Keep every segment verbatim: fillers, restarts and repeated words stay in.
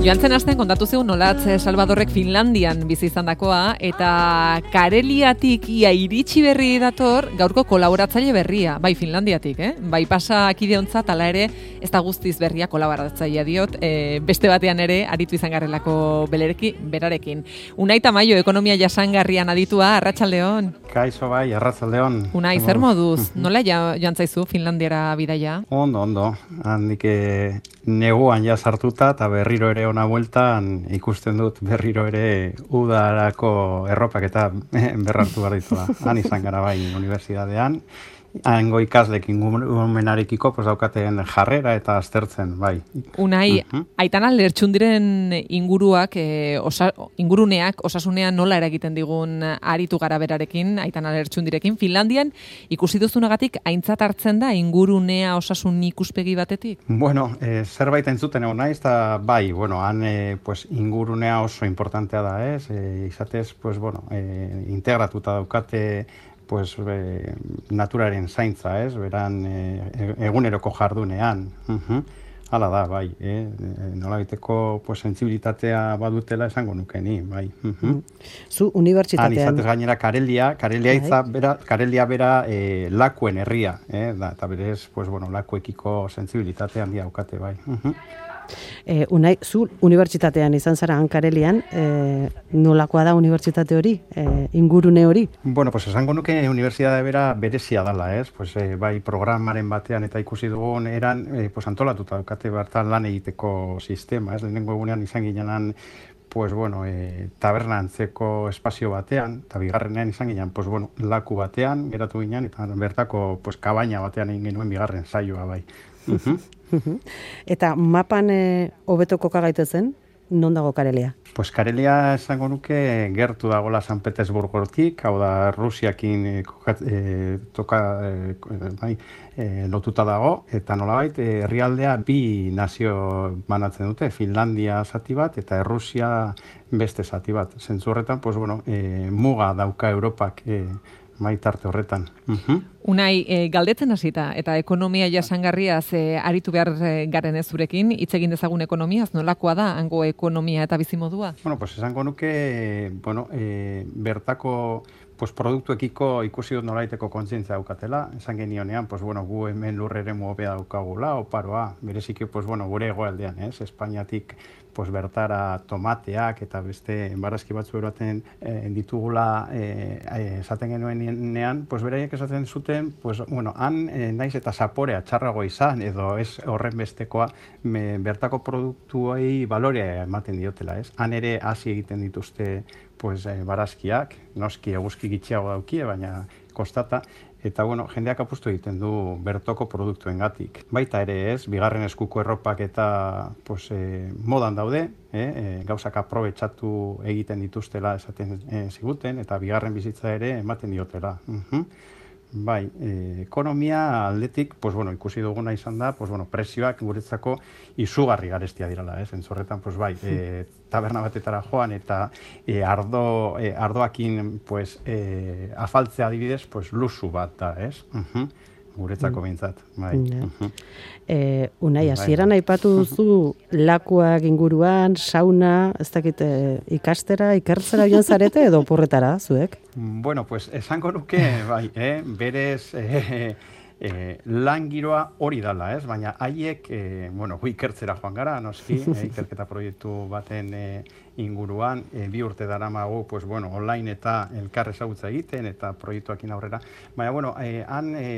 Joantzen asten kontatu zeun nolatz Salvadorrek Finlandian bizi izandakoa eta Kareliatik ia iritsi berri dator gaurko kolaboratzaile berria, bai Finlandiatik, eh? Bai pasa akideontzat ala ere ez da guztiz berria kolaboratzailea diot, e, beste batean ere aritu izan garrelako belereki, berarekin. Unai Tamayo, ekonomia jasangarrian aditua, arratsaldeon. Kaixo bai, arratsaldeon. Unai, zer moduz? Nola ja, joan zaizu Finlandiara bidaia? Ondo, ondo. Handik neguan ja sartuta eta berriro ere ona bueltan ikusten dut berriro ere udarako erropak eta berrartu behar ditua. Han izan gara bai unibertsitatean. Hango ikaslekin gumenarekiko pues, daukaten jarrera eta aztertzen, bai. Unai, uh-huh. Aitana lertxundiren inguruak, e, osa, inguruneak osasunean nola eragiten digun aritu gara berarekin, Aitana lertxundirekin, Finlandian ikusi duzunagatik aintzat hartzen da ingurunea osasun ikuspegi batetik? Bueno, e, zerbait entzuten egon naiz, eta bai, bueno, han e, pues, ingurunea oso importantea da, ez? E, izatez, pues, bueno, e, integratuta daukate pues, e, naturaren zaintza, ez? Beran e, eguneroko jardunean. Uh-huh. Hala da, bai. Eh? Nolabiteko pues, sentsibilitatea badutela esango nuke ni, bai. Uh-huh. Zu unibertsitatean. Han izatez gainera Karelia, Karelia hitza bera, Karelia bera e, lakuen herria, eh? Da, eta berez, pues, bueno, lakuekiko sentsibilitatea handia daukate, bai. Uh-huh. E, unai, zu unibertsitatean izan zara Karelian, e, nolakoa da unibertsitate hori, e, ingurune hori? Bueno, pues esango nuke unibertsitate bera berezia dala, ez? Pues, e, bai programaren batean eta ikusi dugun eran, e, pues antolatuta daukate bertan lan egiteko sistema, ez? Lehenengo egunean izan ginenan pues bueno, e, taberna antzeko espazio batean, eta bigarrenean izan ginen, pues bueno, laku batean, geratu ginen, eta bertako pues, kabaina batean egin genuen bigarren saioa bai. Uh-huh. Eta mapan hobeto koka gaitezen, non dago Karelia? Pues Karelia esango nuke gertu dagola San Petersburgotik, hau da Rusiakin e, e, toka e, bai, e, lotuta dago, eta nolabait herrialdea bi nazio banatzen dute, Finlandia zati bat eta Errusia beste zati bat. Zentzu horretan, pues bueno, e, muga dauka Europak e, maitarte horretan. Uh-huh. Unai, e, galdetzen hasita eta ekonomia jasangarriaz e, aritu behar garen ez zurekin, hitz egin dezagun ekonomiaz, nolakoa da hango ekonomia eta bizimodua? Bueno, pues esango nuke, bueno, e, bertako pues produktuekiko ikusi dut nolaiteko kontzientzia daukatela, esan genionean, pues bueno, gu hemen lurrere hobea daukagula, oparoa, bereziki, pues bueno, gure egoaldean, ez? Espainiatik pues bertara tomateak eta beste barazki batzu eroaten e, ditugula e, esaten genuenean, pues beraiek esaten zuten, pues bueno, han e, naiz eta zaporea txarrago izan edo ez horren bestekoa me, bertako produktuei balorea ematen diotela, ez? Han ere hasi egiten dituzte pues e, barazkiak, noski eguzki gitxiago daukie, baina kostata, eta bueno, jendeak apustu egiten du bertoko produktuengatik. Baita ere ez, bigarren eskuko erropak eta pues, e, modan daude, eh? e, gauzak aprobetxatu egiten dituztela esaten e, ziguten, eta bigarren bizitza ere ematen diotela. Uh-huh. Bai, e, ekonomia aldetik, pues, bueno, ikusi duguna izan da, pues, bueno, prezioak guretzako izugarri garestia dirala, ez? Entzorretan, pues, bai, e, taberna batetara joan eta e, ardo, e, ardoakin pues, e, afaltzea adibidez, pues, luzu bat da, ez? Uh-huh. Guretzako behintzat, bai. Uh-huh. E, unai, hasieran aipatu duzu lakuak inguruan, sauna, ez dakit ikastera, ikertzera joan zarete edo oporretara, zuek? Bueno, pues, esango nuke, bai, eh? berez... Eh, E, lan giroa hori dala, ez? Baina haiek, e, bueno, gu ikertzera joan gara, noski, e, ikerketa proiektu baten e, inguruan, e, bi urte daramagu, pues, bueno, online eta elkar ezagutza egiten, eta proiektuakin aurrera. Baina, bueno, e, han e,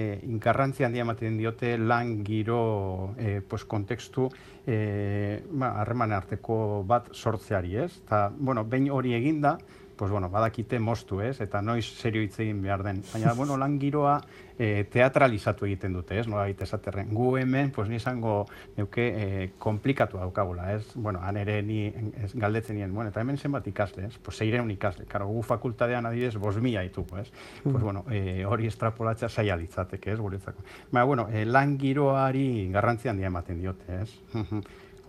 garrantzia handia ematen diote lan giro, e, pues, kontekstu, e, ba, harreman arteko bat sortzeari, ez? Eta, bueno, behin hori eginda, pues bueno, badakite moztu, ez? Eta noiz serio hitz egin behar den. Baina, bueno, lan giroa e, teatralizatu egiten dute, ez? Nola egite esaterren. Gu hemen, pues ni izango neuke e, komplikatu daukagula, ez? Bueno, han ere ni ez, galdetzen nien, bueno, eta hemen zenbat ikasle, ez? Pues seireun ikasle. Karo, gu fakultatean adidez, bost mila dituko, ez? Mm. Pues bueno, e, hori estrapolatzea zaila litzateke, ez? Guretzako. Baina, bueno, e, lan giroari garrantzi handia ematen diote, ez?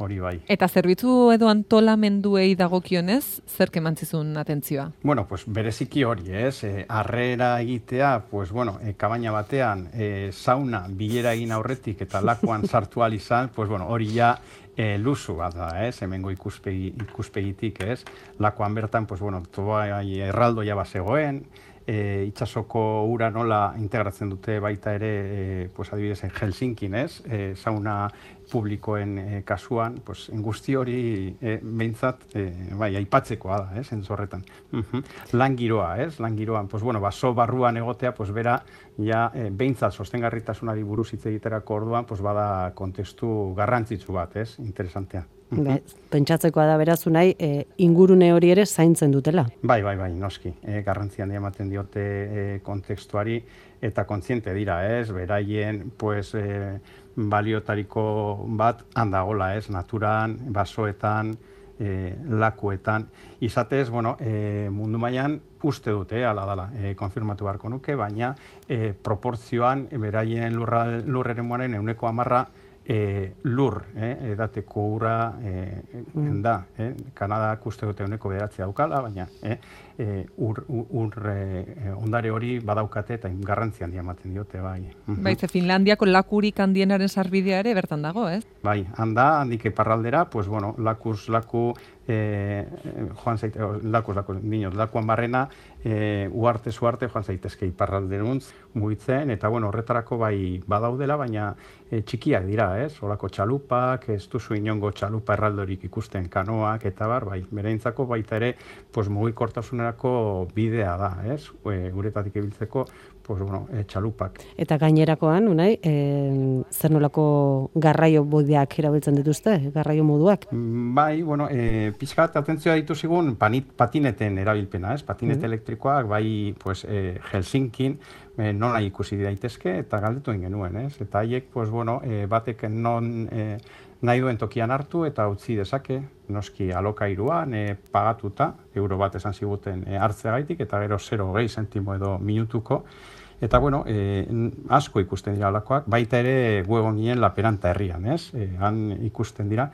Hori bai. Eta zerbitzu edo antolamenduei dagokionez, zerk emantzizun atentzioa? Bueno, pues bereziki hori, ez? E, arrera egitea, pues bueno, e, kabaina batean, e, sauna bilera egin aurretik eta lakuan sartu ahal izan, pues bueno, hori ja e, luzu bat da, ez, hemengo ikuspegi, ikuspegitik, ez, lakoan bertan, pues, bueno, tobai erraldoia bazegoen, e, itsasoko ura nola integratzen dute baita ere, e, pues, adibidez, Helsinkin, ez, e, sauna publikoen e, kasuan, pues, guzti hori e, behintzat, e, bai, aipatzekoa da, ez, entzorretan. Uh-huh. Lan giroa, ez, lan giroan, pues, bueno, baso barruan egotea, pues, bera, ja, e, behintzat sostengarritasunari buruz hitz egiterako orduan, pues, bada kontestu garrantzitsu bat, ez, interesantea. Be, pentsatzekoa da berazu nahi, e, ingurune hori ere zaintzen dutela. Bai, bai, bai, noski. E, garrantzian ematen diote e, kontekstuari eta kontziente dira, ez? Beraien, pues, e, baliotariko bat handagola, ez? Naturan, basoetan, e, lakuetan. Izatez, bueno, e, mundu mailan uste dute, ala dala, e, konfirmatu beharko nuke, baina e, proportzioan beraien lurra, lurreremuaren euneko hamarra E, lur, eh, edateko ura e, mm. da. Eh? Kanadak uste dute euneko bederatzi daukala, baina eh, e, ur, ur e, ondare hori badaukate eta garrantzi handia ematen diote, bai. Bai, ze Finlandiako lakurik handienaren sarbidea ere bertan dago, ez? Bai, handa, handik iparraldera, pues bueno, lakuz laku, eh, joan zaite, lakuz laku, niños, lakuan barrena, eh, uarte zuarte joan zaitezke iparralderuntz mugitzen, eta bueno, horretarako bai badaudela, baina e, txikiak dira, ez? Olako txalupak, ez duzu inongo txalupa erraldorik ikusten, kanoak, eta bar, bai, bereintzako baita ere, pues mugikortasunerako bidea da, ez? E, uretatik ibiltzeko, pues bueno, e, txalupak. Eta gainerakoan, Unai, e, zer nolako garraio bideak erabiltzen dituzte, garraio moduak? Bai, bueno, e, pixkat atentzioa ditu zigun panit, patineten erabilpena, ez? Patinete mm. elektrikoak, bai, pues, e, Helsinkin, e, nola ikusi daitezke, eta galdetu genuen, ez? Eta haiek, pues, bueno, e, batek non e, nahi duen tokian hartu eta utzi dezake, noski alokairuan e, pagatuta, euro bat esan ziguten e, hartzeagaitik, eta gero zero hogei zentimo edo minutuko. Eta, bueno, e, asko ikusten dira alakoak, baita ere gu egon ginen Laperanta herrian, ez? E, han ikusten dira.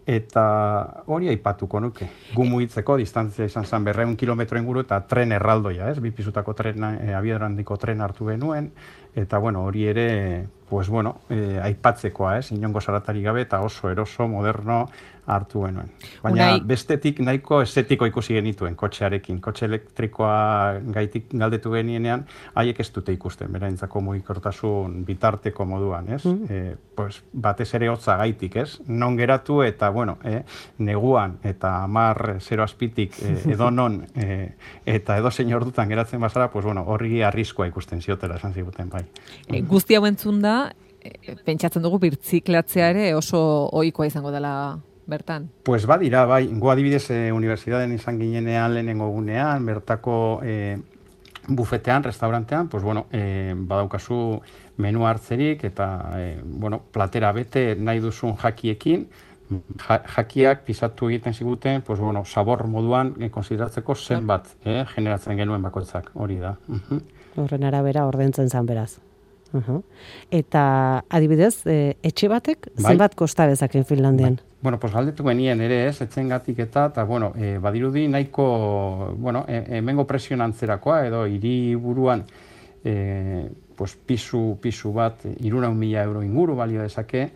Eta hori aipatuko nuke. Gu mugitzeko distantzia izan zen berrehun kilometro inguru eta tren erraldoia, ez? Bi pisutako tren, e, abiadura handiko tren hartu genuen. Eta, bueno, hori ere, pues, bueno, e, aipatzekoa, ez? Inongo zaratari gabe eta oso eroso, moderno hartu genuen. Baina Unai... bestetik nahiko estetiko ikusi genituen kotxearekin. Kotxe elektrikoa gaitik galdetu genienean, haiek ez dute ikusten, beraintzako mugikortasun bitarteko moduan, ez? Mm. E, pues, batez ere hotza gaitik, ez? Non geratu eta, bueno, eh, neguan eta hamar zero azpitik eh, edo non eh, eta edo zein ordutan geratzen bazara, pues, bueno, horri arriskoa ikusten ziotela esan ziguten, bai. E, guzti hau entzun da, e, pentsatzen dugu birtziklatzea ere oso ohikoa izango dela bertan. Pues badira, bai, gu adibidez eh, unibertsitateen izan ginenean lehenengo gunean, bertako eh, bufetean, restaurantean, pues bueno, eh, badaukazu menu hartzerik eta eh, bueno, platera bete nahi duzun jakiekin, ja, jakiak pisatu egiten ziguten, pues bueno, sabor moduan eh, konsideratzeko zenbat eh, generatzen genuen bakoitzak, hori da. Uh-huh. Horren arabera ordaintzen zan beraz. Uh-huh. Eta adibidez, e, etxe batek zenbat bai? Kosta bezaken Finlandian? Bai. Bueno, pues galdetu genien ere, ez, etxengatik eta, eta, bueno, e, badirudi nahiko, bueno, e, hemengo presioan antzerakoa, edo hiriburuan, e, pues, pisu, pisu bat, hirurehun mila euro inguru balio dezake,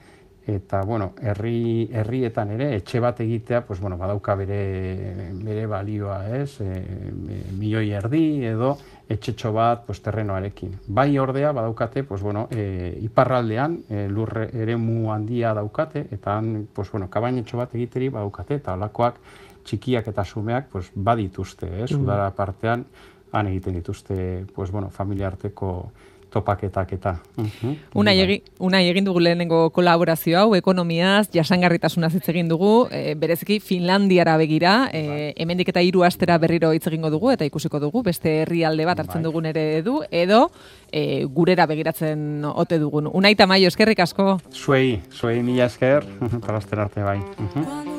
eta, bueno, herri, herrietan ere, etxe bat egitea, pues, bueno, badauka bere, bere balioa, ez, e, e, milioi erdi, edo, etxetxo bat, pues, terrenoarekin. Bai ordea, badaukate, pues, bueno, e, iparraldean, e, lurre eremu handia daukate, eta han, pues, bueno, kabainetxo bat egiteri badaukate, eta holakoak txikiak eta sumeak, pues, badituzte, eh? Udara partean, han egiten dituzte, pues, bueno, familia arteko topaketak eta. Uh-huh. Unai, egi, unai egin dugu lehenengo kolaborazio hau, ekonomiaz, jasangarritasunaz hitz egin dugu, e, bereziki Finlandiara begira, e, hemendik eta hiru astera berriro hitz egingo dugu, eta ikusiko dugu, beste herrialde bat hartzen dugun ere du, edo e, gurera begiratzen ote dugun. Unai Tamayo, eskerrik asko. Zuei, zuei mila esker, para arte bai. Uh-huh.